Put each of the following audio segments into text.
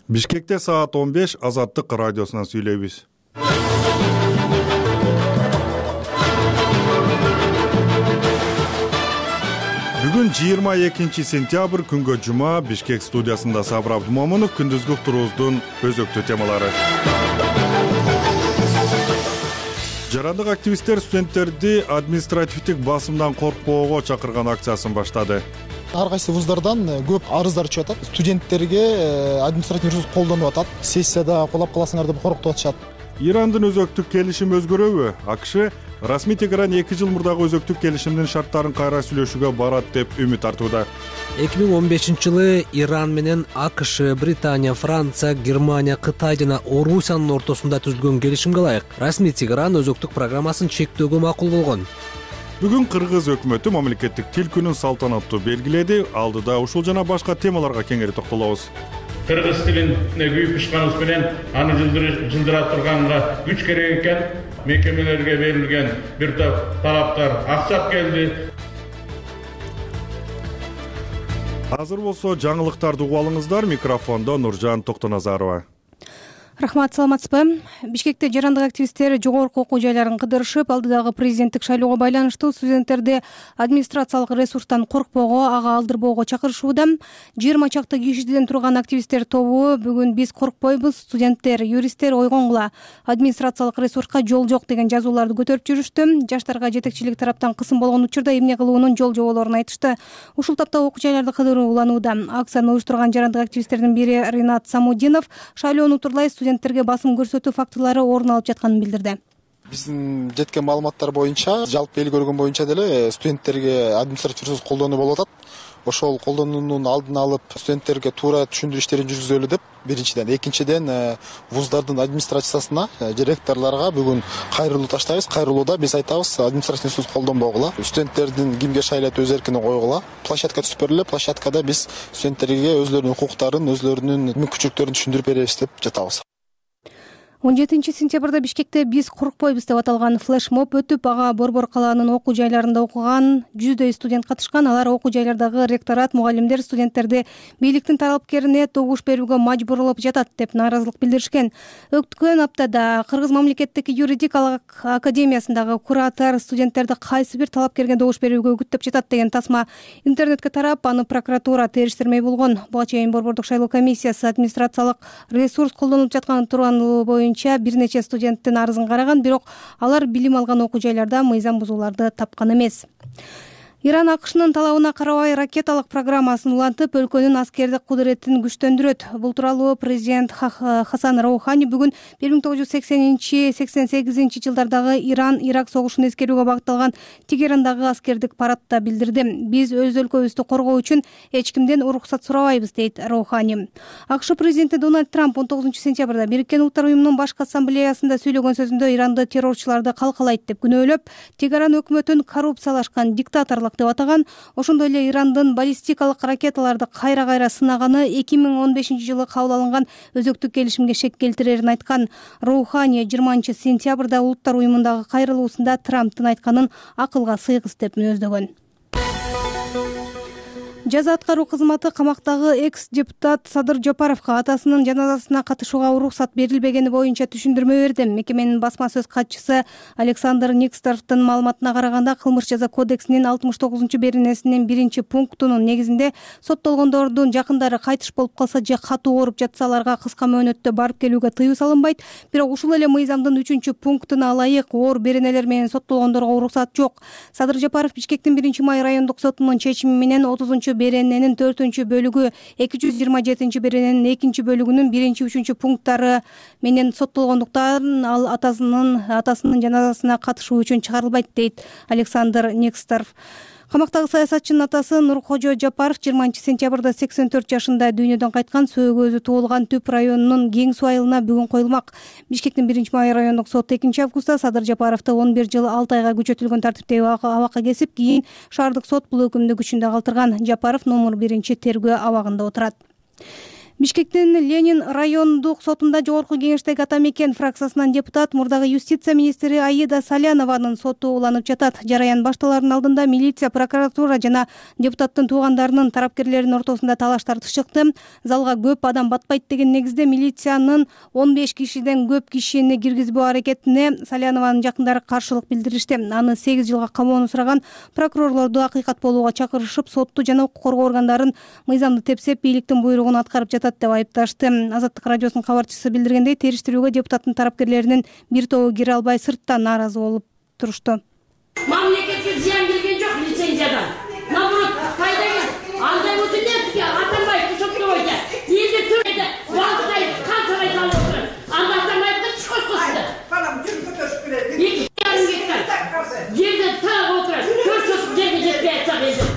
Бишкекте саат 15 Азаттык радиосунан сүйлөйбүз. Бүгүн 22 сентябрь күнгө жума. Бишкек студиясында Сабыр Абдумомунов. Күндүзгү уктуруубуздун өзөктүү темалары. Жарандык активисттер студенттерди административдик басымдан коркпоого чакырган акциясын баштады. Ар кайсы вуздардан көп арыздар түшүп атат. Студенттерге административдик ресурс колдонуп атат. Сессияда колап каласыңар деп коркутуп атышат. Ирандын өзөктүк келишими өзгөрөбү? АКШ расмий Тегеран 2 жыл мурдагы өзөктүк келишимдин шарттарын кайра сүйлөшүүгө барат деп үмүт артууда. 2015-жылы Иран менен АКШ, Британия, Франция, Германия, Кытай жана Орусиянын ортосунда түзүлгөн келишимге ылайык расмий Тегеран өзөктүк программасын чектөөгө макул болгон. Бүгүн Кыргыз өкмөтү мамлекеттик тил күнүн салтанаттуу белгиледи. Алдыда ушул жана башка темаларга кеңири токтолобуз. Кыргыз тилине күйүп ушканыбыз менен аны жылдыра турганга күч керек экен. Мекемелерге берилген бир топ талаптар аксап келди. Азыр болсо жаңылыктарды угуп алыңыздар. Микрофондо Нуржан Токтоназарова. Рахмат, саламатсызбы? Бишкекте жарандык активисттер жогорку окуу жайларын кыдырышып, алдыдагы президенттик шайлоого байланыштуу студенттерди администрациялык ресурстан коркпоого, ага алдырбоого чакырышууда. 20 чакты кишиден турган активисттер тобу бүгүн биз коркпойбуз, студенттер, юристтер ойгонгула, администрациялык ресурска жол жок деген жазууларды көтөрүп жүрүштү. Жаштарга жетекчилик тараптан кысым болгон учурда эмне кылуунун жол жоболорун айтышты. Ушул тапта окуу жайларды кыдыруу уланууда. Акцияны уюштурган жарандык активисттердин бири Ринат Самудинов шайлоону турлай студенттерге басым көрсөтүү фактылары орун алып жатканын билдирди. Биздин жеткен маалыматтар боюнча, жалпы эл көргөн боюнча деле студенттерге административдик ресурс колдонуу болуп атат. Ошол колдонуунун алдын алып, студенттерге туура түшүндүрүү иштерин жүргүзөлү деп биринчиден, экинчиден вуздардын администрациясына, ректорлорго бүгүн кайрылуу таштайбыз. Кайрылууда биз айтабыз, административдик ресурс колдонбогула, студенттердин кимге шайлайт өз эркине койгула. Площадка түзүп бериле, площадкада биз студенттерге өзлөрүнүн укуктарын, өзлөрүнүн мүмкүнчүлүктөрүн түшүндүрүп беребиз деп жатабыз. 17 сентябрда Бишкекте биз коркпойбуз деп аталган флешмоб өтүп, ага Борбор калаанын окуу жайларында окуган 100дөй студент катышкан. Алар окуу жайлардагы ректорат, мугалимдер студенттерди бийликтин талапкерине добуш берүүгө мажбурлап жатат деп нааразылык билдиришкен. Өткөн аптада Кыргыз мамлекеттик юридикалык академиясындагы куратор студенттерди кайсы бир талапкерге добуш берүүгө үгүттөп жатат деген тасма интернетке тарап, аны прокуратура териштирмей болгон. Буга чейин Борбордук шайлоо комиссиясы администрациялык ресурс колдонулуп жатканын туругунлугу боюнча бир нече студенттин арызын караган, бирок алар билим алган окуу жайларда мыйзам бузууларды тапкан эмес. Иран АКШнын талабына карабай ракеталык программасын улантып, өлкөнүн аскердик кудуретин күчтөндүрөт. Бул тууралуу президент Хасан Роухани бүгүн 1980-88 жылдардагы Иран-Ирак согушун эскерүүгө багытталган Тегерандагы аскердик парадта билдирди. Биз өз өлкөбүздү коргоо үчүн эч кимден уруксат сурабайбыз, дейт Роухани. АКШ президенти Дональд Трамп 19 сентябрда Бириккен Улуттар уюмунун башкы ассамблеясында сүйлөгөн сөзүндө Иранды террорчуларды калкалайт деп күнөөлөп, Тегеран өкмөтүн коррупциялашкан диктаторлук деп атаган. Ошондой эле Ирандын баллистикалык ракеталарды кайра-кайра сынаганы 2015 жылы кабыл алынган өзөктүк келишимге шек келтирерин айткан. Роухани 20 сентябрда Улуттар уюмундагы кайрылуусунда Трамптын айтканын акылга сыйгыс деп мүнөздөгөн. Жаза аткаруу кызматы камактагы экс-депутат Садыр Жапаровго атасынын жаназасына катышууга уруксат берилбегени боюнча түшүндүрмө берди. Мекеменин басма сөз катчысы Александр Никсторовдун маалыматына караганда, кылмыш жаза кодексинин 69-беренесинин 1-пунктунун негизинде соттолгондордун жакындары кайтыш болуп калса же катуу ооруп жатса, аларга кыска мөөнөттө барып келүүгө тыюу салынбайт. Бирок ушул эле мыйзамдын 3-пунктуна ылайык оор беренелер менен соттолгондорго уруксат жок. Садыр Жапаров Бишкектин 1-май райондук сотунун чечими менен 30-берененин 4-бөлүгү, 227-берененин 2-бөлүгүнүн 1-3 пункттары менен соттолгондуктан ал атасынын жаназасына катышуу үчүн чыгарылбайт, дейт Александр Никсторов. Камактагы саясатчынын атасы Нуркожо Жапаров 20 сентябрда 84 жашында дүйнөдөн кайткан. Сөөгөзү туулган Түп районунун Кең суу айылына бүгүн коюлмак. Бишкектин 1-май райондук соту 2-августта Садыр Жапаровду 11 жыл 6 айга күчөтүлгөн тартиптеги абакка кесип, кийин шаардык сот бул өкүмдү күчүндө калтырган. Жапаров номер 1 тергөө абагында отурат. Бишкектин Ленин райондук сотунда жогорку кеңештеги ата мекен фракциясынан депутат мурдагы юстиция министри Аида Салянованын соту уланып жатат. Жараян башталарынын алдында милиция, прокуратура жана депутаттын туугандарынын тарапкерлеринин ортосунда талаш тартыш чыкты. Залга көп адам батпайт деген негизде милициянын 15 кишиден көп кишини киргизбөө аракетине Салянованын жакындары каршылык билдиришти. Аны 8 жылга камоону сураган прокурорлорду акыйкат болууга чакырышып, сотту жана укук коргоо органдарын мыйзамды тепсеп, бийликтин буйругун аткарып жатат деп айыпташты. Азаттык радиосунун кабарчысы билдиргендей, териштирүүгө депутаттын тарапкерлеринин бир тобу кире албай сыртта нааразы болуп турушту. Мамлекетке зыян келген жок лицензиядан. Наоборот, пайда келди. Андай болсо эмне Атамбаевди соттобойт. Элди түрөйдө балдай канчалай салып отур. Анда Атамбаевди чыккыз кылды. Балам жүр көтөрүп келет. 2,5 гектар. Жерде таап отурат. 4 сотук жерге жетпей атса элди.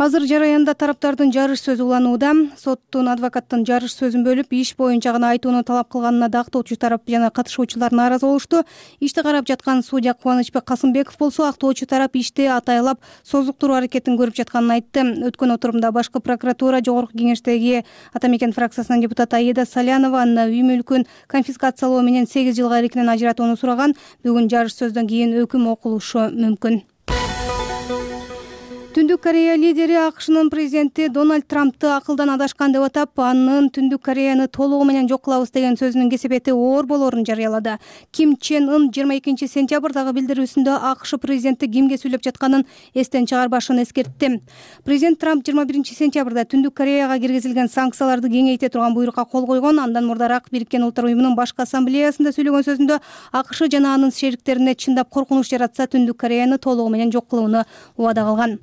Азыр жараянда тараптардын жарыш сөзү уланууда. Соттун адвокаттын жарыш сөзүн бөлүп, иш боюнча гана айтууну талап кылганына да актоочу тарап жана катышуучулар нааразы болушту. Ишти карап жаткан судья Кубанычбек Касымбеков болсо, актоочу тарап ишти атайлап созуктуруу аракетин көрүп жатканын айтты. Өткөн отурумда башкы прокуратура жогорку кеңештеги ата мекен фракциясынын депутаты Аида Салянованын үй мүлкүн конфискациялоо менен 8 жылга эркинен ажыратууну сураган. Бүгүн жарыш сөздөн кийин өкүм окулушу мүмкүн. Түндүк Корея лидери АКШнын президенти Дональд Трампты акылдан адашкан деп атап, анын Түндүк Кореяны толугу менен жок кылабыз деген сөзүнүн кесепети оор болоорун жарыялады. Ким Чен Ын 22 сентябрдагы билдирүүсүндө АКШ президенти кимге сүйлөп жатканын эстен чыгарбашын эскертти. Президент Трамп 21 сентябрда Түндүк Кореяга киргизилген санкцияларды кеңейте турган буйрукка кол койгон. Андан мурдараак Бириккен Улуттар уюмунун башкы ассамблеясында сөйлөгөн сөзүндө АКШ жана анын шериктерине чындап коркунуч жаратса, Түндүк Кореяны толугу менен жок кылууну убада кылган.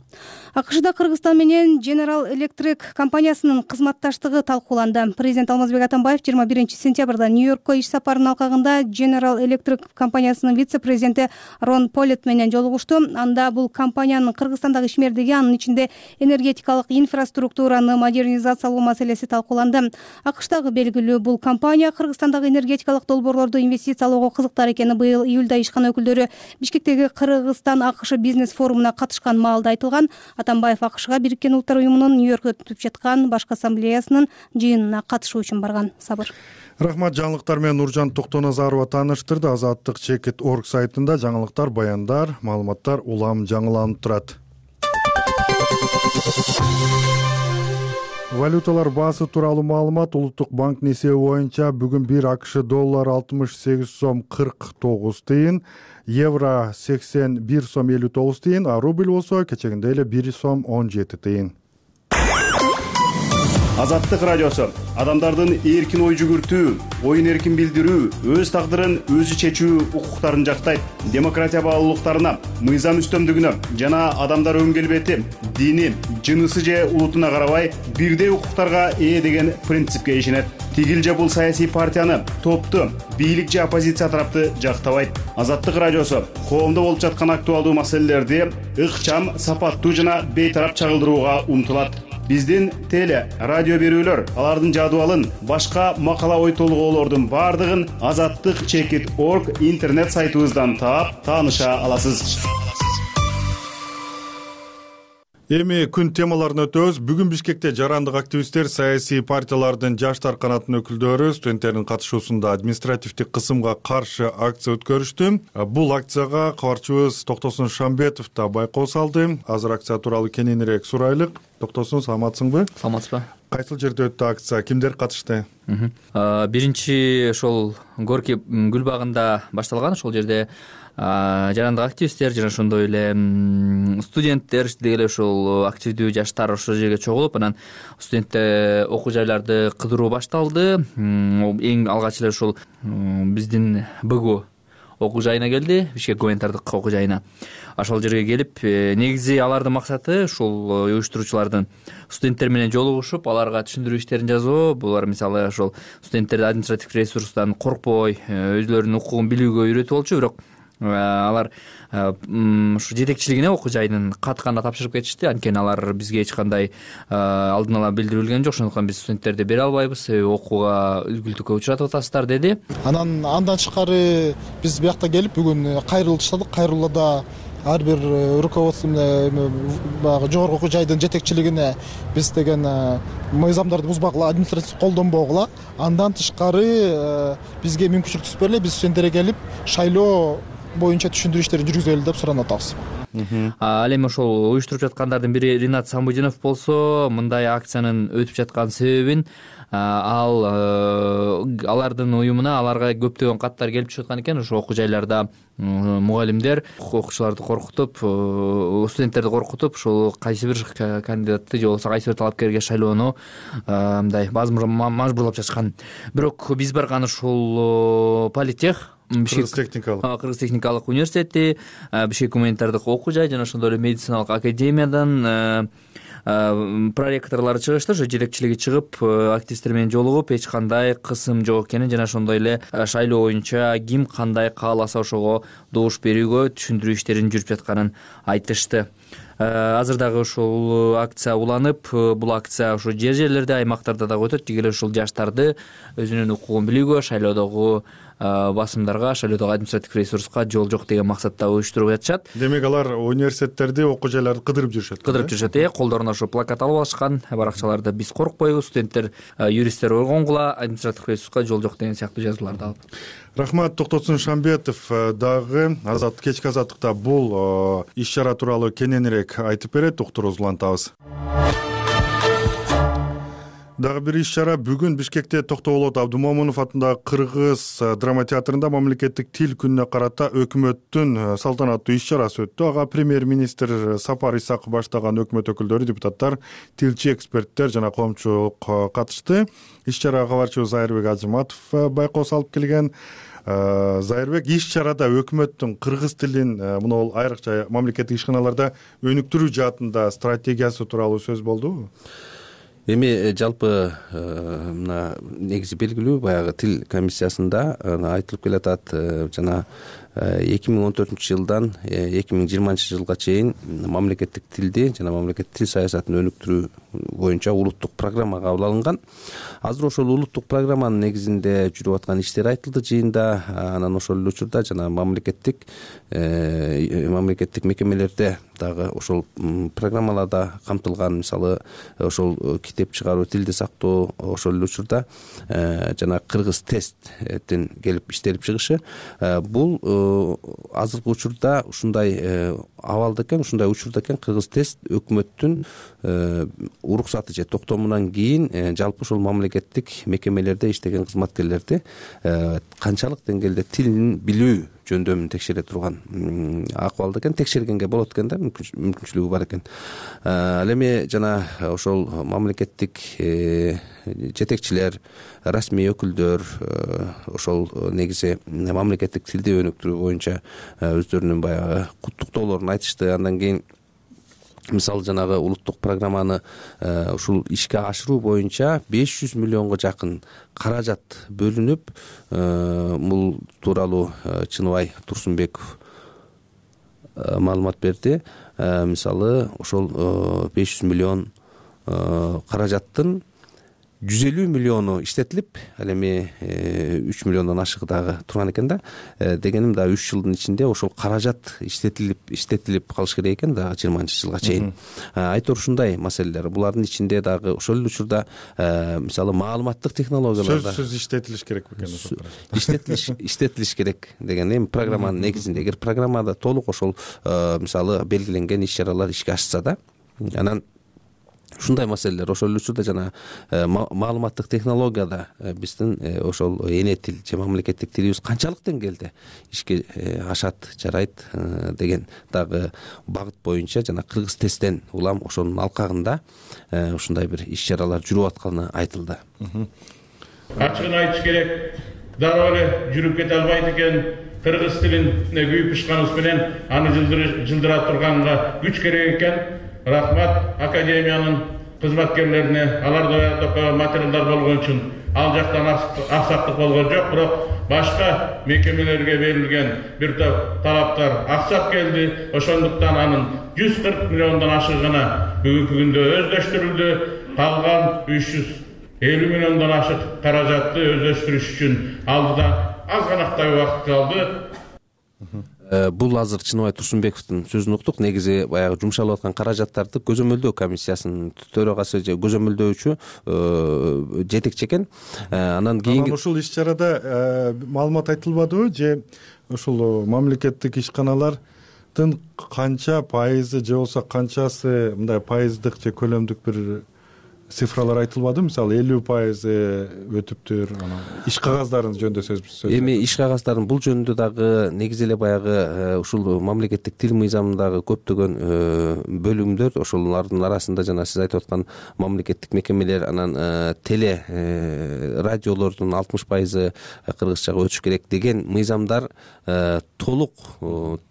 АКШда Кыргызстан менен General Electric компаниясынын кызматташтыгы талкууланды. Президент Алмазбек Атамбаев 21 сентябрда Нью-Йоркко иш сапарынын алкагында General Electric компаниясынын вице-президенти Рон Полет менен жолугушту. Анда бул компаниянын Кыргызстандагы ишмердиги, анын ичинде энергетикалык инфраструктураны модернизациялоо маселеси талкууланды. АКШдагы белгилүү бул компания Кыргызстандагы энергетикалык долбоорлорду инвестициялоого кызыктар экени быйыл июлда ишкана өкүлдөрү Бишкектеги Кыргызстан АКШ бизнес форумуна катышкан маалда айтылган. Атамбаев АКШга Бириккен Улуттар уюмунун Нью-Йоркто өтүп жаткан башкы ассамблеясынын жыйынына катышуу үчүн барган. Сабыр. Рахмат, жаңылыктар менен Нуржан Токтоназарова тааныштырды. Азаттык Чекит.org сайтында жаңылыктар, баяндар, маалыматтар улам жаңыланып турат. Валюталар баасы тууралуу маалымат. Улуттук банктын эсеби боюнча бүгүн 1 АКШ доллары 68 сом 49 тыйын, евро 81 сом 59 тыйын, а рубль болсо кечегиндей эле 1 сом 17 тыйын. Азаттык радиосу адамдардын эркин ой жүгүртүү, оюн эркин билдирүү, өз тагдырын өзү чечүү укуктарын жактайт. Демократия баалуулуктарына, мыйзам үстөмдүгүнө жана адамдар өн келбети, дини, жынысы же улутуна карабай бирдей укуктарга ээ деген принципке ишенет. Тигил же бул саясий партияны, топту, бийлик же оппозиция тарапты жактабайт. Азаттык радиосу коомдо болуп жаткан актуалдуу маселелерди ыкчам, сапаттуу жана бейтарап чагылдырууга умтулат. Биздин теле, радио берүүлөр, алардын жадыбалын, башка макала ой толгоолордун бардыгын Азаттык Чекит.org интернет сайтыбыздан таап, тааныша аласыз. Эми күн темаларына өтөбүз. Бүгүн Бишкекте жарандык активисттер, саясий партиялардын жаштар канатынын өкүлдөрү студенттердин катышуусунда административдик кысымга каршы акция өткөрүштү. Бул акцияга кабарчыбыз Токтосун Шамбетов да байкоо салды. Азыр акция тууралуу кененирээк сурайлык. Токтосун, саламатсыңбы? Саламатсызбы? Кайсыл жерде өттү акция? Кимдер катышты? Биринчи ошол Горки гүл багында башталган. Ошол жерде жарандык активисттер жана ошондой эле студенттер деги эле ошол активдүү жаштар ошол жерге чогулуп, анан студенттер окуу жайларды кыдыруу башталды. Эң алгач эле ошол биздин БГУ окуу жайына келди, Бишкек гуманитардык окуу жайына. Ошол жерге келип, негизи алардын максаты ушул уюштуруучулардын студенттер менен жолугушуп, аларга түшүндүрүү иштерин жасоо. Булар мисалы ошол студенттерди административдик ресурстан коркпой, өзлөрүнүн укугун билүүгө үйрөтүп болчу, бирок алар ушу жетекчилигине окуу жайынын катканда тапшырып кетишти. Анткени алар бизге эч кандай алдын ала билдирилген жок. Ошондуктан биз студенттерди бере албайбыз, окууга үзгүлтүккө учратып атасыздар деди. Андан тышкары биз биякта келип бүгүн кайрылуу таштадык. Кайрылууда ар бир руководство баягы жогорку окуу жайдын жетекчилигине биз деген мыйзамдарды бузбагыла, административдик колдонбогула, андан тышкары бизге мүмкүнчүлүк түзүп бергиле, биз студенттерге келип шайлоо боюнча түшүндүрүү иштерин жүргүзөлү деп суранып атабыз. Ал эми ошол уюштуруп жаткандардын бири Ринат Самбудинов болсо, мындай акциянын өтүп жаткан себебин алардын уюмуна аларга көптөгөн каттар келип чыгып аткан экен. Ошо окуу жайларда мугалимдер окуучуларды коркутуп, студенттерди коркутуп, ошол кайсы бир кандидатты же болбосо кайсы бир талапкерге шайлоону мындай мажбурлап жатышкан. Бирок биз барган ушул политех, Кыргыз техникалык университети, Бишкек гуманитардык окуу жай жана ошондой эле медициналык академиядан проректорлору чыгышты. Ошо жетекчилиги чыгып, активисттер менен жолугуп, эч кандай кысым жок экенин жана ошондой эле шайлоо боюнча ким кандай кааласа ошого добуш берүүгө түшүндүрүү иштерин жүрүп жатканын айтышты. Азыр дагы ушул акция уланып, бул акция ошо жерлерде, аймактарда дагы өтөт. Деги эле ушул жаштарды өзүнүн укугун билүүгө, шайлоодогу басымдарга, шайлоодогу административдик ресурска жол жок деген максатта уюштуруп жатышат. Демек алар университеттерди, окуу жайларды кыдырып жүрүшөт. Колдоруна ошо плакат алып алышкан. Баракчаларда биз коркпойбуз, студенттер, юристтер ойгонгула, административдик ресурска жол жок деген сыяктуу жазууларды алып. Рахмат. Токтосун Шамбетов дагы кечки азаттыкта бул иш-чара тууралуу кененирээк айтып берет. Уктурубузду улантабыз. Дагы бир иш-чара бүгүн Бишкекте Токтогулот Абдумомунов атындагы Кыргыз драма театрында мамлекеттик тил күнүнө карата өкмөттүн салтанаттуу иш-чарасы өттү. Ага премьер-министр Сапар Исаков баштаган өкмөт өкүлдөрү, депутаттар, тилчи эксперттер жана коомчулук катышты. Иш-чарага кабарчыбыз Зайырбек Ажыматов байкоо салып келген. Зайырбек, иш-чарада өкмөттүн кыргыз тилин мына айрыкча мамлекеттик ишканаларда өнүктүрүү жаатында стратегиясы тууралуу сөз болдубу? Эми жалпы мына негизи белгилүү баягы тил комиссиясында айтылып келатат, жана 2014 жылдан 2020 жылга чейин мамлекеттик тилди жана мамлекеттик тил саясатын өнүктүрүү боюнча улуттук программа кабыл алынган. Азыр ошол улуттук программанын негизинде жүрүп аткан иштер айтылды жыйында. Анан ошол эле учурда жана мамлекеттик мекемелерде дагы ошол программаларда камтылган, мисалы ошол китеп чыгаруу, тилди сактоо, ошол эле учурда жана кыргыз тесттин келип иштелип чыгышы, бул азыркы учурда ушундай абалда экен, ушундай учурда экен. Кыргыз тест өкмөттүн уруксаты же токтомунан кийин жалпы ошол мамлекеттик мекемелерде иштеген кызматкерлерди канчалык деңгээлде тилин билүү жөндөмүн текшере турган акыбалда экен. Текшергенге болот экен да, мүмкүнчүлүгү бар экен. Ал эми жана ошол мамлекеттик жетекчилер, расмий өкүлдөр ошол негизи мамлекеттик тилди өнүктүрүү боюнча өздөрүнүн баягы куттуктоолорун айтышты. Андан кийин мисалы жанагы улуттук программаны ушул ишке ашыруу боюнча 500 миллионго жакын каражат бөлүнүп, бул тууралуу Чыныбай Турсунбеков маалымат берди. Мисалы ошол 500 миллион каражаттын 150 миллиону иштетилип, ал эми 3 миллиондон ашыгы дагы турган экен да. Дегеним да 3 жылдын ичинде ошол каражат иштетилип калыш керек экен дагы 20 жылга чейин. Айтор ушундай маселелер. Булардын ичинде дагы ошол эле учурда мисалы маалыматтык технологияларда сөзсүз иштетилиш керек бекен. Иштетилиш керек деген эми программанын негизинде. Эгер программада толук ошол мисалы белгиленген иш-чаралар ишке ашса да, анан ушундай маселелер ошол учурда жана маалыматтык технологияда биздин ошол эне тил же мамлекеттик тилибиз канчалык деңгээлде ишке ашат, жарайт деген дагы багыт боюнча жана кыргыз тесттен улам ошонун алкагында ушундай бир иш-чаралар жүрүп атканы айтылды. Ачыгын айтыш керек, дароо эле жүрүп кете албайт экен. Кыргыз тилине күйүп бышканыбыз менен аны жылдыра турганга күч керек экен. Рахмат академиянын кызматкерлерине, алар даярдап материалдар болгон үчүн. Ал жактан аксактык болгон жок, бирок башка мекемелерге берилген бир топ талаптар аксап келди. Ошондуктан анын 140 миллиондон ашыгына бүгүнкү күндө өздөштүрүлдү. Калган 350 миллиондон ашык каражатты өздөштүрүш үчүн алдыда аз ганактай убакыт калды. Бул азыр Чыныбай Турсунбековдун сөзүн уктук. Негизи баягы жумшалып аткан каражаттарды көзөмөлдөө комиссиясынын төрагасы же көзөмөлдөөчү жетекчи экен. Анан кийинки ушул иш чарада маалымат айтылбадыбы же ушул мамлекеттик ишканалардын канча пайызы же болбосо канчасы мындай пайыздык же көлөмдүк бир цифралар айтылбадыбы? Мисалы 50% өтүптүр. Анан иш кагаздарын жөнүндө сөз. Эми иш кагаздарын бул жөнүндө дагы негизи эле баягы ушул мамлекеттик тил мыйзамындагы көптөгөн бөлүмдөр, ошолордун арасында жана сиз айтып аткан мамлекеттик мекемелер, анан теле радиолордун 60% кыргызчага өтүш керек деген мыйзамдар толук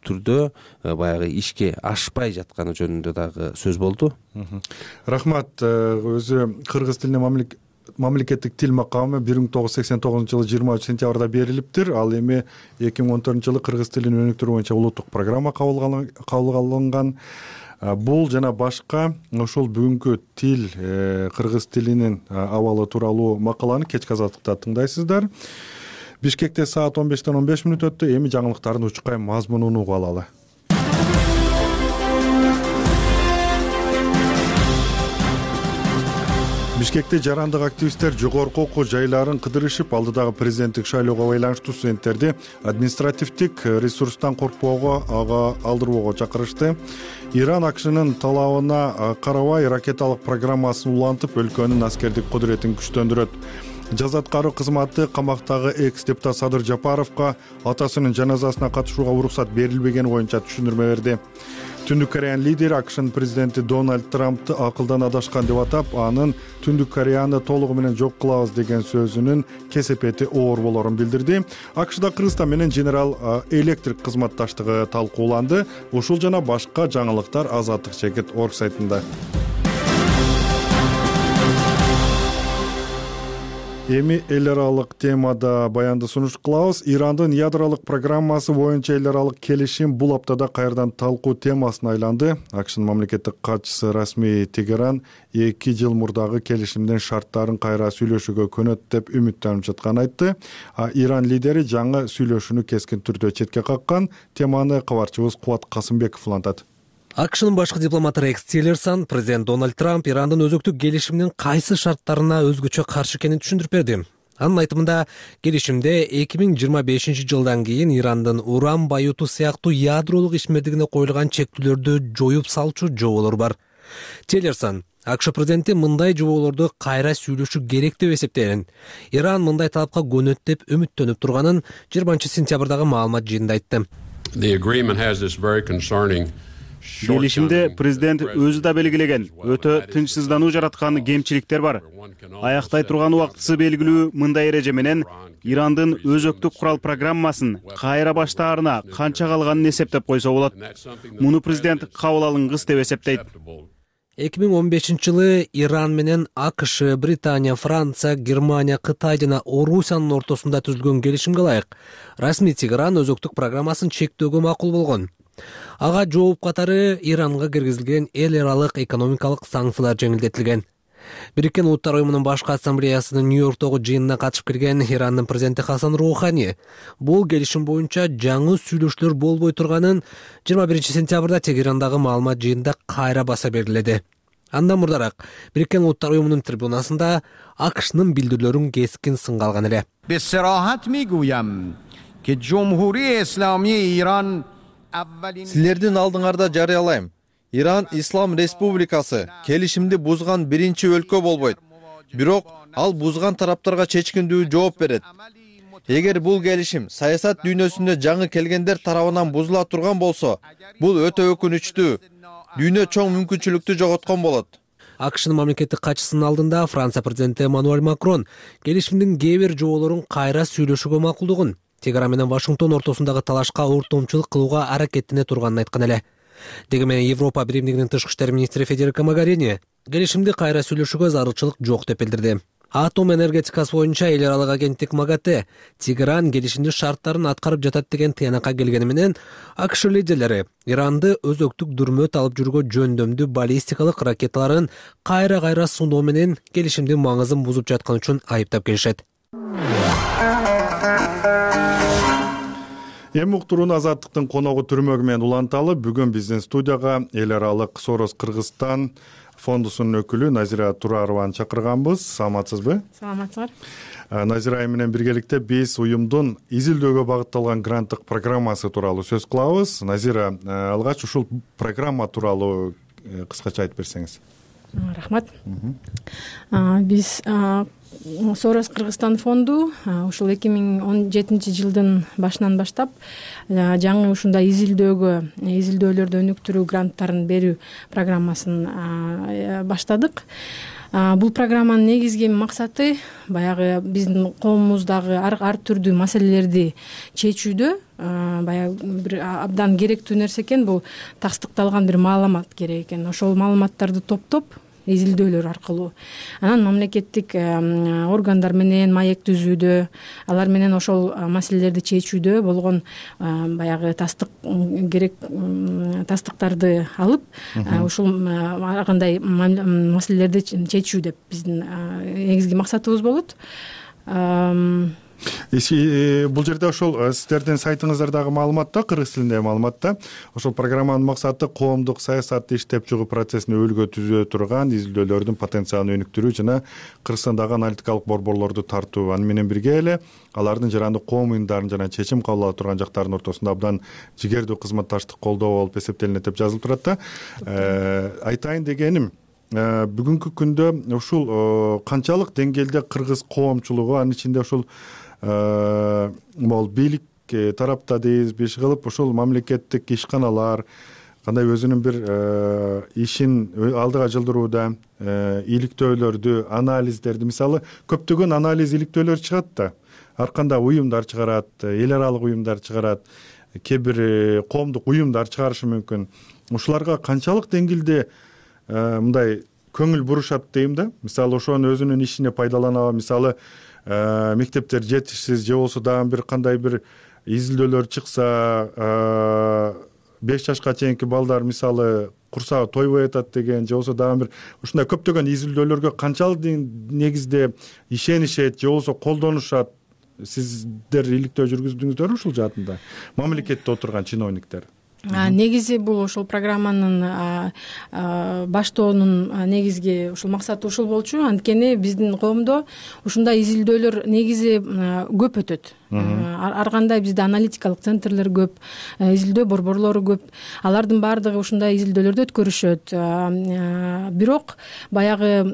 түрдө баягы ишке ашпай жатканы жөнүндө дагы сөз болду. Рахмат. Өзү кыргыз тилине мамлекеттик тил макамы 1989 жылы 23 сентябрда берилиптир. Ал эми 2014 жылы кыргыз тилин өнүктүрүү боюнча улуттук программа кабыл алынган. Бул жана башка ошол бүгүнкү тил, кыргыз тилинин абалы тууралуу макаланы кечки азаттыкта тыңдайсыздар. Бишкекте саат 15-тен 15 мүнөт өттү. Эми жаңылыктардын учкай мазмунун угуп алалы. Бишкекте жарандык активисттер жогорку окуу жайларын кыдырышып, алдыдагы президенттик шайлоого байланыштуу студенттерди административдик ресурстан коркпоого, ага алдырбоого чакырышты. Иран АКШнын талабына карабай ракеталык программасын улантып, өлкөнүн аскердик кудуретин күчтөндүрөт. Жаза аткаруу кызматы камактагы экс-депутат Садыр Жапаровго атасынын жаназасына катышууга уруксат берилбегени боюнча түшүндүрмө берди. Түндүк Кореянын лидери АКШнын президенти Дональд Трампты акылдан адашкан деп атап, анын Түндүк Кореяны толугу менен жок кылабыз деген сөзүнүн кесепети оор болорун билдирди. АКШда Кыргызстан менен General Electric кызматташтыгы талкууланды. Ушул жана башка жаңылыктар Азаттык Чекит орг сайтында. Эми эл аралык темада баянды сунуш кылабыз. Ирандын ядролук программасы боюнча эл аралык келишим бул аптада кайрадан талкуу темасына айланды. АКШнын мамлекеттик катчысы Расмий Тегеран 2 жыл мурдагы келишимдин шарттарын кайра сүйлөшүүгө көнөт деп үмүттөнүп жатканын айтты. Иран лидери жаңы сүйлөшүүнү кескин түрдө четке каккан. Теманы кабарчыбыз Кубат Касымбеков улантат. АКШнын башкы дипломаты Рекс Тиллерсон президент Дональд Трамп Ирандын өзөктүк келишиминин кайсы шарттарына өзгөчө каршы экенин түшүндүрүп берди. Анын айтымында, келишимде 2025 жылдан кийин Ирандын уран байытуу сыяктуу ядролук ишмердигине коюлган чектүүлөрдү жоюп салчу жоболор бар. Тиллерсон АКШ президенти мындай жоболорду кайра сүйлөшүү керек деп эсептейт. Иран мындай талапка көнөт деп үмүттөнүп турганын 20 сентябрдагы маалымат жыйынында айтты. Келишимде президент өзү да белгилеген өтө тынчсыздануу жараткан кемчиликтер бар. Аяктай турган убактысы белгилүү мындай эреже менен Ирандын өзөктүк курал программасын кайра баштаарына канча калганын эсептеп койсо болот. Муну президент кабыл алынгыс деп эсептейт. 2015 жылы Иран менен АКШ, Британия, Франция, Германия, Кытай жана Орусиянын ортосунда түзүлгөн келишимге ылайык расмий Тегеран өзөктүк программасын чектөөгө макул болгон. Ага жооп катары Иранга киргизилген эл аралык экономикалык санкциялар жеңилдетилген. Бириккен Улуттар уюмунун башкы ассамблеясынын Нью-Йорктогу жыйынына катышып келген Ирандын президенти Хасан Роухани бул келишим боюнча жаңы сүйлөшүүлөр болбой турганын 21 сентябрда Тегерандагы маалымат жыйынында кайра баса белгиледи. Андан мурдараак Бириккен Улуттар уюмунун трибунасында АКШнын билдирүүлөрүн кескин сынга алган эле. Силердин алдыңарда жарыялайм. Иран Ислам Республикасы келишимди бузган биринчи өлкө болбойт. Бирок ал бузган тараптарга чечкиндүү жооп берет. Эгер бул келишим саясат дүйнөсүндө жаңы келгендер тарабынан бузула турган болсо, бул өтө өкүнүчтүү. Дүйнө чоң мүмкүнчүлүктү жоготкон болот. АКШнын мамлекеттик катчысынын алдында Франция президенти Эммануэль Макрон келишимдин кээ бир жоболорун кайра сүйлөшүүгө макулдугун, Тегеран менен Вашингтон ортосундагы талашка ортомчулук кылууга аракеттене турганын айткан эле. Дегенмен Европа биримдигинин тышкы иштер министри Федерико Могарини келишимди кайра сүйлөшүүгө зарылчылык жок деп билдирди. Атом энергетикасы боюнча эл аралык агенттик МАГАТЭ Тегеран келишимдин шарттарын аткарып жатат деген тыянакка келгени менен АКШ лидерлери Иранды өзөктүк дүрмөт алып жүрүүгө жөндөмдүү баллистикалык ракеталарын кайра суноо менен келишимдин маңызын бузуп жаткан үчүн айыптап келишет. Эми уктурууну Азаттыктын коногу Түрмөгү менен уланталы. Бүгүн биздин студияга эл аралык Сорос Кыргызстан фондусунун өкүлү Назира Турарованы чакырганбыз. Саламатсызбы? Саламатсыздар. Назира айым менен биргеликте биз уюмдун изилдөөгө багытталган гранттык программасы тууралуу сөз кылабыз. Назира, алгач ушул программа тууралуу кыскача айтып берсеңиз. Рахмат. Биз Сорос Кыргызстан фонду ушул 2017 жылдын башынан баштап жаңы ушундай изилдөөлөрдү өнүктүрүү гранттарын берүү программасын баштадык. Бул программанын негизги максаты баягы биздин коомумуздагы ар түрдүү маселелерди чечүүдө баягы бир абдан керектүү нерсе экен. Бул тастыкталган бир маалымат керек экен. Ошол маалыматтарды топтоп изилдөөлөр аркылуу анан мамлекеттик органдар менен маек түзүүдө, алар менен ошол маселелерди чечүүдө болгон баягы тастыктарды алып ушул ар кандай маселелерди чечүү деп биздин негизги максатыбыз болот. Бул жерде ошол сиздердин сайтыңыздардагы маалыматта, кыргыз тилиндеги маалыматта ошол программанын максаты коомдук саясатты иштеп чыгуу процессине өлгө түзө турган изилдөөлөрдүн потенциалын өнүктүрүү жана Кыргызстандагы аналитикалык борборлорду тартуу. Аны менен бирге эле алардын жарандык коом уюмдарын жана чечим кабыл ала турган жактардын ортосунда абдан жигердүү кызматташтык колдоо болуп эсептелинет деп жазылып турат да. Айтайын дегеним, бүгүнкү күндө ушул канчалык деңгээлде кыргыз коомчулугу, анын ичинде ушул могул бийлик тарапта дейбизби, иш кылып ушул мамлекеттик ишканалар кандай өзүнүн бир ишин алдыга жылдырууда иликтөөлөрдү, анализдерди, мисалы көптөгөн анализ иликтөөлөр чыгат да. Ар кандай уюмдар чыгарат, эл аралык уюмдар чыгарат, кээ бир коомдук уюмдар чыгарышы мүмкүн. Ушуларга канчалык деңгээлде мындай көңүл бурушат дейм да. Мисалы ошонун өзүнүн ишине пайдаланабы, мисалы мектептер жетишсиз же болбосо дагы бир кандай бир изилдөөлөр чыкса, 5 жашка чейинки балдар мисалы курсагы тойбой атат деген же болбосо дагы бир ушундай көптөгөн изилдөөлөргө канчалык негизде ишенишет же болбосо колдонушат? Сиздер иликтөө жүргүздүңүздөрбү ушул жаатында, мамлекетте отурган чиновниктер? Негизи бул ошол программанын баштоонун негизги ушул максаты ушул болчу. Анткени биздин коомдо ушундай изилдөөлөр негизи көп өтөт. Ар кандай бизде аналитикалык центрлер көп, изилдөө борборлору көп. Алардын баардыгы ушундай изилдөөлөрдү өткөрүшөт. Бирок баягы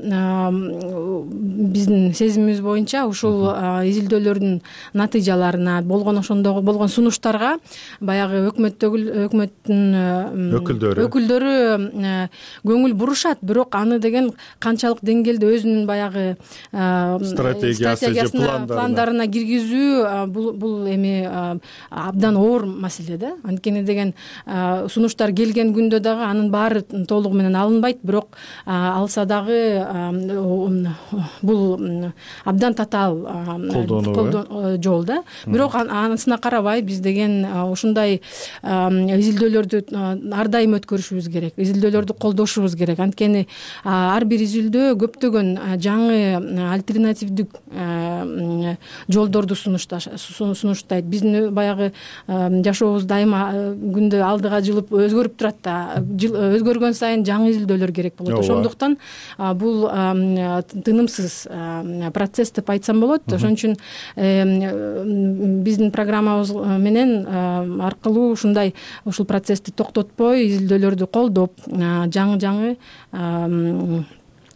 биздин сезимибиз боюнча ушул изилдөөлөрдүн натыйжаларына, ошондогу болгон сунуштарга баягы өкмөттүн өкүлдөрү көңүл бурушат. Бирок аны деген канчалык деңгээлде өзүнүн баягы стратегиясына, пландарына киргизүү бул эми абдан оор маселе да. Анткени деген сунуштар келген күндө дагы анын баары толугу менен алынбайт, бирок алса дагы бул абдан татаал колдоо жол да. Бирок анысына карабай биз деген ушундай изилдөөлөрдү ар дайым өткөрүшүбүз керек, изилдөөлөрдү колдошубуз керек. Анткени ар бир изилдөө көптөгөн жаңы альтернативдик жолдорду сунуштайт. Биздин баягы жашообуз дайыма күндө алдыга жылып өзгөрүп турат да. Өзгөргөн сайын жаңы изилдөөлөр керек болот. Ошондуктан бул тынымсыз процесс деп айтсам болот. Ошон үчүн биздин программабыз менен аркылуу ушул процессти токтотпой, изилдөөлөрдү колдоп, жаңы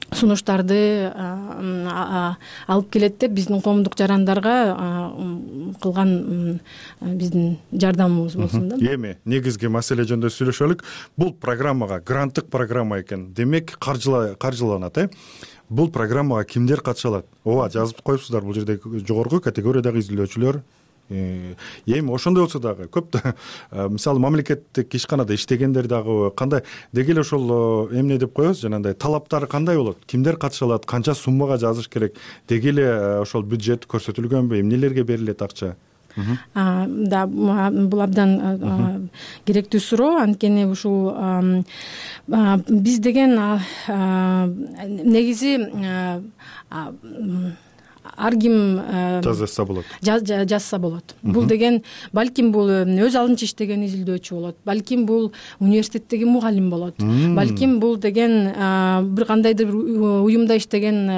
сунуштарды алып келет деп биздин коомдук жарандарга кылган биздин жардамыбыз болсун да. Эми негизги маселе жөнүндө сүйлөшөлүк. Бул программага гранттык программа экен. Демек каржыланат, Бул программага кимдер катыша алат? Ооба, жазып коюпсуздар, бул жерде жогорку категориядагы изилдөөчүлөр. Эми ошондой болсо дагы көп мисалы мамлекеттик ишканада иштегендер дагы кандай деги эле ошол эмне деп коебуз, жанагындай талаптары кандай болот? Кимдер катыша алат? Канча суммага жазыш керек? Деги эле ошол бюджет көрсөтүлгөнбү? Эмнелерге берилет акча? Да, бул абдан керектүү суроо. Анткени ушул биз деген негизи ар ким жазса болот, жазса болот. Бул деген балким бул өз алдынча иштеген изилдөөчү болот, балким бул университеттеги мугалим болот, балким бул деген бир кандайдыр уюмда иштеген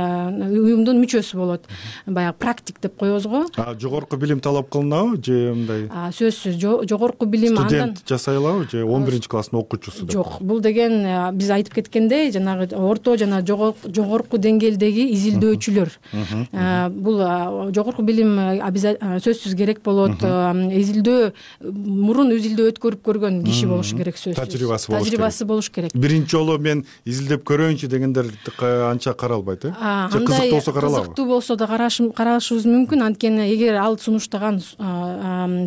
уюмдун мүчөсү болот, баягы практик деп коебуз го. Жогорку билим талап кылынабы же мындай? Сөзсүз жогорку билим студент жасай алабы же 11-класстын окуучусу? Жок, бул деген биз айтып кеткендей жанагы орто жана жогорку деңгээлдеги изилдөөчүлөр. Бул жогорку билим сөзсүз керек болот. Изилдөө мурун изилдөө өткөрүп көргөн киши болушу керек, сөзсүз. Тажрыйбасы болуш керек. Биринчи жолу мен изилдеп көрөйүнчү дегендер анча каралбайт, же кызыктуу болсо каралабы? Кызыктуу болсо да карашыбыз мүмкүн, анткени эгер ал сунуштаган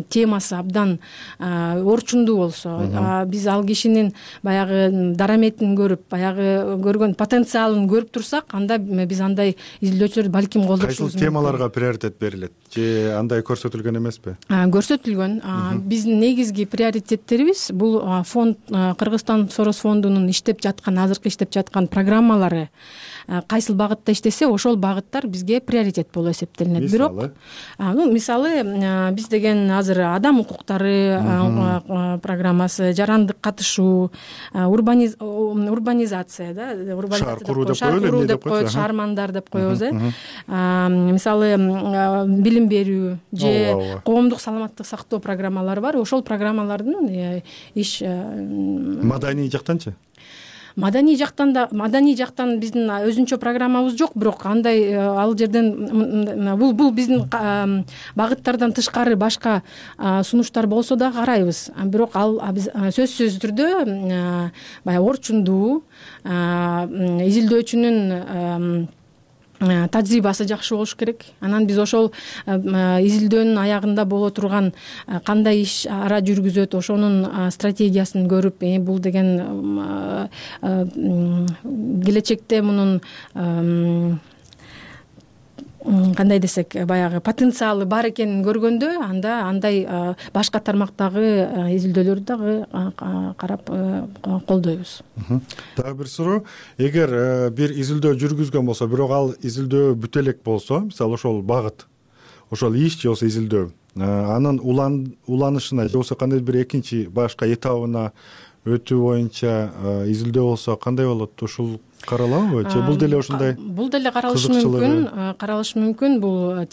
темасы абдан орчундуу болсо, биз ал кишинин баягы дараметин көрүп, баягы көргөн потенциалын көрүп турсак, анда биз андай изилдөөчүлөрдү балким колдошубуз мүмкүн. Кайсыл темаларга приоритет берилет же андай көрсөтүлгөн эмеспи? Көрсөтүлгөн. Биздин негизги приоритеттерибиз бул фонд, Кыргызстан Сорос фондунун иштеп жаткан, азыркы иштеп жаткан программалары кайсыл багытта иштесе, ошол багыттар бизге приоритет болуп эсептелинет. Бирок мисалы биз деген азыр адам укуктары программасы, жарандык катышуу, урбанизация, шаар куруу деп коет, шаармандар деп коебуз. Мисалы билим берүү же коомдук саламаттык сактоо программалары бар. Ошол программалардын иш маданий жактанчы? Маданий жактан биздин өзүнчө программабыз жок, бирок андай ал жерден бул биздин багыттардан тышкары башка сунуштар болсо да карайбыз. Бирок ал биз сөзсүз түрдө баягы орчундуу изилдөөчүнүн тажрыйбасы жакшы болуш керек. Анан биз ошол изилдөөнүн аягында боло турган кандай иш ара жүргүзөт, ошонун стратегиясын көрүп, бул деген келечекте мунун кандай десек, баягы потенциалы бар экенин көргөндө, анда андай башка тармактагы изилдөөлөрдү дагы карап колдойбуз. Дагы бир суроо, эгер бир изилдөө жүргүзгөн болсо, бирок ал изилдөө бүтө элек болсо, мисалы ошол багыт, ошол иш же болбосо изилдөө, анын уланышына же болбосо кандайдыр бир экинчи башка этабына өтүү боюнча изилдөө болсо кандай болот? Ушул каралабы же бул деле ушундай? Бул деле каралышы мүмкүн. Бул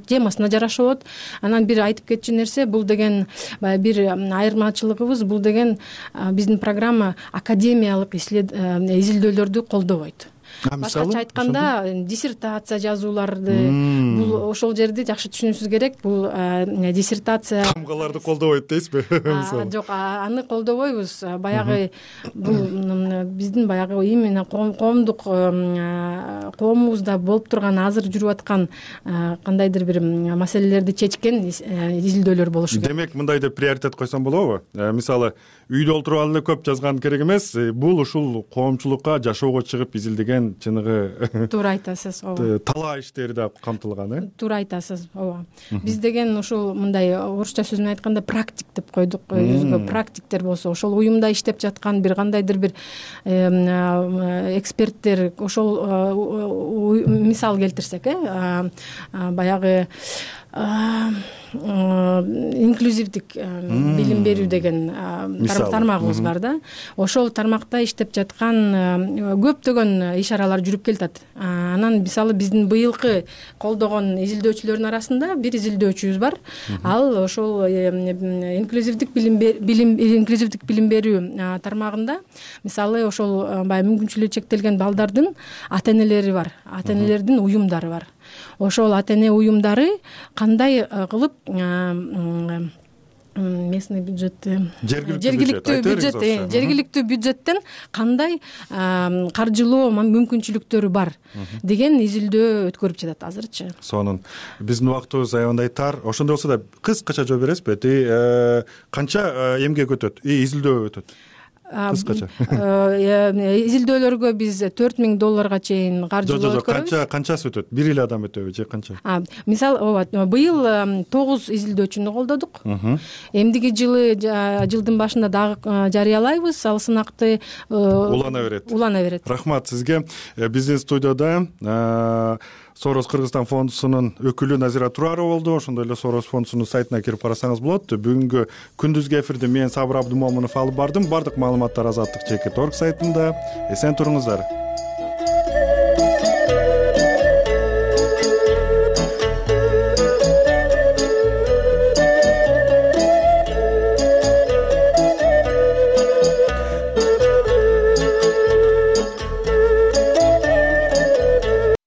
темасына жараша болот. Анан бир айтып кетчү нерсе, бул деген бир айырмачылыгыбыз, бул деген биздин программа академиялык изилдөөлөрдү колдобойт. Башкача айтканда, диссертация жазууларды, бул ошол жерди жакшы түшүнүшүбүз керек. Бул диссертация тамгаларды колдобойт дейсизби? Жок, аны колдобойбуз. Баягы бул биздин баягы именно коомубузда болуп турган, азыр жүрүп аткан кандайдыр бир маселелерди чечкен изилдөөлөр болушу керек. Демек, мындай деп приоритет койсом болобу? Мисалы, үйдө отуруп ал эле көп жазган керек эмес, бул ушул коомчулукка жашоого чыгып изилдеген чыныгы туура айтасыз. Ооба. Талаа иштери да камтылган, Туура айтасыз. Ооба. Биз деген ушул мындай орусча сөз менен айтканда практик деп койдук. Өзгө практиктер болсо, ошол уюмда иштеп жаткан бир кандайдыр бир эксперттер, ошол мисал келтирсек, баягы инклюзивдик билим берүү деген тармагыбыз бар да. Ошол тармакта иштеп жаткан көптөгөн иш-аралар жүрүп келатат. Анан мисалы биздин быйылкы колдогон изилдөөчүлөрдүн арасында бир изилдөөчүбүз бар. Ал ошол инклюзивдик билим берүү тармагында мисалы ошол баягы мүмкүнчүлүгү чектелген балдардын ата-энелери бар, ата-энелердин уюмдары бар. Ошол ата-эне уюмдары кандай кылып местный бюджетти, жергиликтүү бюджеттен кандай каржылоо мүмкүнчүлүктөрү бар деген изилдөө өткөрүп жатат азырчы. Сонун биздин убактыбыз аябандай тар. Ошондой болсо да кыскача жооп бересизби? Канча эмгек өтөт, изилдөө өтөт? кыскача изилдөөлөргө биз $4000 чейин каржылоо өткөрөбүз. Канчасы өтөт? Бир эле адам өтөбү же канча? Мисалы ооба быйыл 9 изилдөөчүнү колдодук. Эмдиги жылдын башында дагы жарыялайбыз. Ал сынакты улана берет. Рахмат сизге. Биздин студияда Сорос Кыргызстан фондусунун өкүлү Назира Турарова болду. Ошондой эле Сорос фондусунун сайтына кирип карасаңыз болот. Бүгүнкү күндүзгү эфирди мен Сабыр Абдымомунов алып бардым. Бардык маалыматтар Азаттык.org сайтында. Эсен туруңуздар.